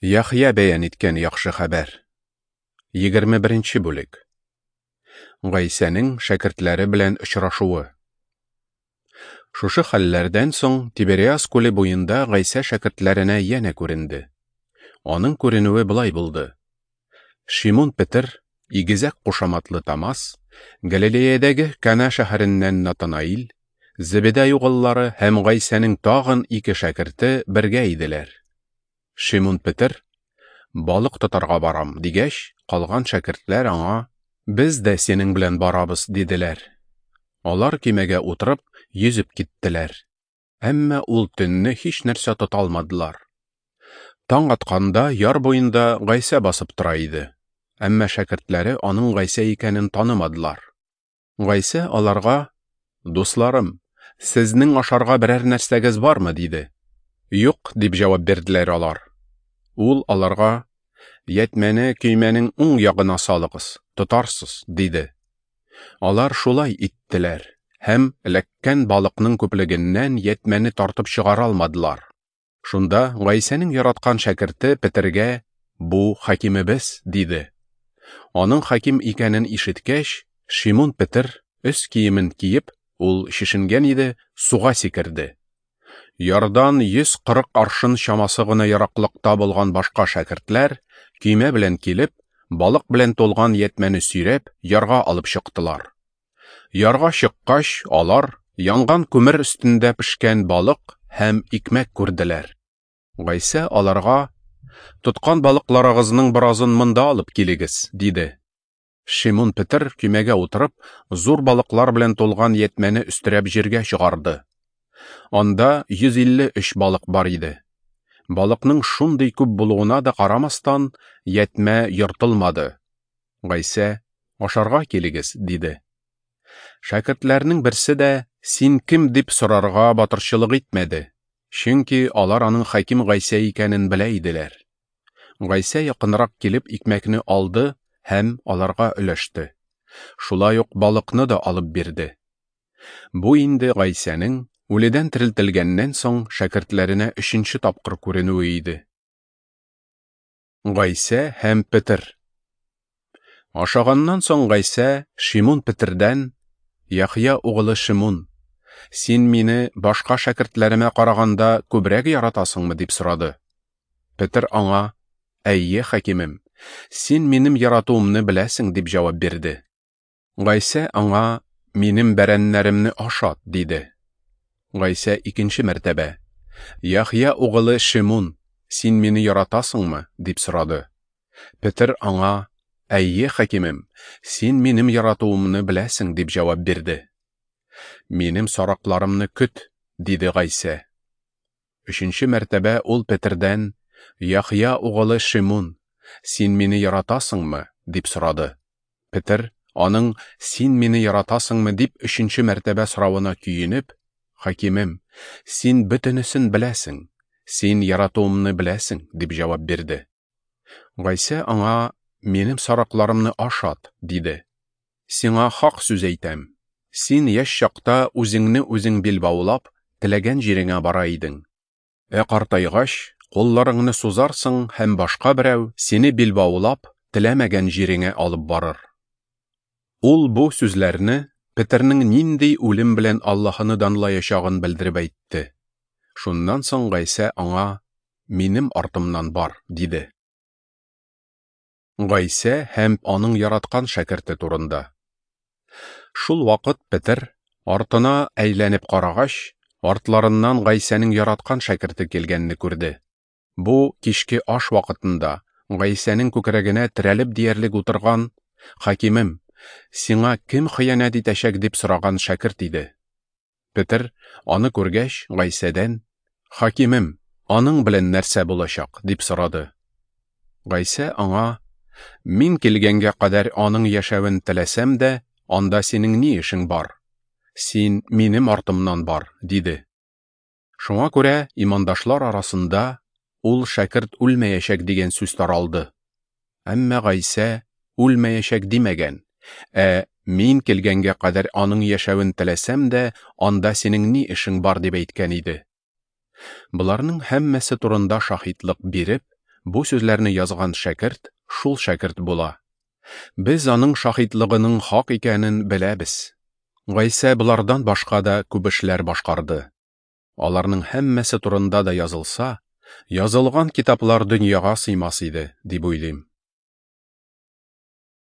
Яхъя бәян иткән яхшы хәбәр. 21 бүлек. Гайсәнең шәкертләре белән очрашуы. Шушы хәлләрдән соң Тибериас күле буенда Гайсә шәкертләренә янә күренде. Аның күренүе болай булды. Шимун Петер, игезәк кушаматлы Томас, Галилеядәге Кана шәһәреннән Натанаил, Зебедай угыллары һәм Гайсәнең тагын ике шәкерте бергә иделәр. Шимун Петер, балык тотарга барам, дигәч, калган шәкертләр аңа, без дә синең белән барабыз, диделәр. Алар көймәгә утырып, йөзеп киттеләр. Әмма ул төнне һич нәрсә тота алмадылар. Таң атканда яр буенда Гайсә басып тора иде. Әмма шәкертләре аның Гайсә икәнен танымадылар. Гайсә аларга: "Дусларым, сезнең ашарга берәр нәрсәгез бармы?" диде. "Юк", дип җавап бирделәр алар. Ул аларга: "Ятьмәне көймәнең уң ягына салыгыз, тотарсыз", диде. Алар шулай иттеләр һәм эләккән балыкның күплегеннән ятьмәне тартып чыгара алмадылар. Шунда Гайсәнең яраткан шәкерте Петергә: "Бу хакимебез", диде. Аның хаким икәнен ишеткәч, Шимун Петер өс киемен киеп, ул чишенгән иде, суга сикерде. Ярдан 140 аршын чамасы гына ераклыкта булган башка шәкертләр көймә белән килеп, балык белән тулган ятьмәне сөйрәп, ярга алып чыктылар. Ярга чыккач, алар янган күмер өстендә пешкән балык һәм икмәк күрделәр. Гайсә аларга: "Тоткан балыкларыгызның беразын монда алып килегез", диде. Шимун Петер көймәгә утырып, зур балыклар белән тулган ятьмәне өстерәп җиргә чыгарды. Анда 153 балык бар иде. Балыкның шундый күп булуына да карамастан, ятьмә ертылмады. Гайсә: "Ашарга килегез", диде. Шәкертләрнең берсе дә: "Син кем?" дип сорарга батырчылык итмәде, чөнки алар аның хаким Гайсә икәнен белә иделәр. Гайсә якынрак килеп икмәкне алды һәм аларга өләште. Шулай ук балыкны да алып бирде. Бу инде Гайсәнең үледән терелтелгәннән соң шәкертләренә өченче тапкыр күренүе иде. Гайсә һәм Петер. Ашаганнан соң Гайсә Шимун Петердән: "Яхъя угылы Шимун, син мине башка шәкертләремә караганда күбрәк яратасыңмы?" дип сорады. Петер аңа: "Әйе, хакимем, син минем яратуымны беләсең", дип җавап бирде. Гайсә аңа: "Минем бәрәннәремне ашат", диде. Гайсә икенче мәртәбә: "Яхъя угылы Шимун, син мине яратасыңмы?" дип сорады. Петер аңа: "Әйе, хакимем, син минем яратуымны беләсең", дип җавап бирде. "Минем сарыкларымны көт", диде Гайсә. Өченче мәртәбә ул Петердән: "Яхъя угылы Шимун, син мине яратасыңмы?" дип сорады. Петер аның "Син мине яратасыңмы?" дип өченче мәртәбә соравына көенеп: "Хакимем, син бөтенесен беләсең, син яратуымны беләсең", дип җавап бирде. Гайсә аңа: "Минем сарыкларымны ашат", диде. "Сиңа хак сүз әйтәм, син яшь чакта үзеңне үзең билбаулап, теләгән җиреңә бара идең. Ә картайгач, кулларыңны сузарсың һәм башка берәү сине билбаулап, теләмәгән җиреңә алып барыр." Ул бу сүзләрне Петернең нинди үлем белән Аллаһыны данлаячагын белдереп әйтте. Шуннан соң Гайсә аңа: "Минем артымнан бар", диде. Гайсә һәм аның яраткан шәкерте турында. Шул вакыт Петер артына әйләнеп карагач, артларыннан Гайсәнең яраткан шәкерте килгәнне күрде. Бу кичке аш вакытында Гайсәнең күкрәгенә терәлеп диярлек утырган: "Хакимем, сиңа кем хыянәт итәчәк?" дип сораган шәкерт иде. Петер аны күргәч, Гайсәдән: "Хакимем, аның белән нәрсә булачак?" дип сорады. Гайсә аңа: "Мин килгәнгә кадәр аның яшәвен теләсәм дә, анда синең ни эшең бар? Син минем артымнан бар", диде. Шуңа күрә имандашлар арасында ул шәкерт үлмәячәк дигән сүз таралды. Әмма Гайсә үлмәячәк димәгән, ә мин килгәнгә кадәр аның яшәвен теләсәм дә, анда синең ни эшең бар дип әйткән иде. Боларның һәммәсе турында шаһитлык биреп, Бу сүзләрне язган шәкерт шул шәкерт була. Без аның шаһитлыгының хак икәнен беләбез. Гайсә болардан башка да күп эшләр башкарды. Аларның һәммәсе турында да язылса, язылган китаплар дөньяга сыймас иде, дип уйлыйм.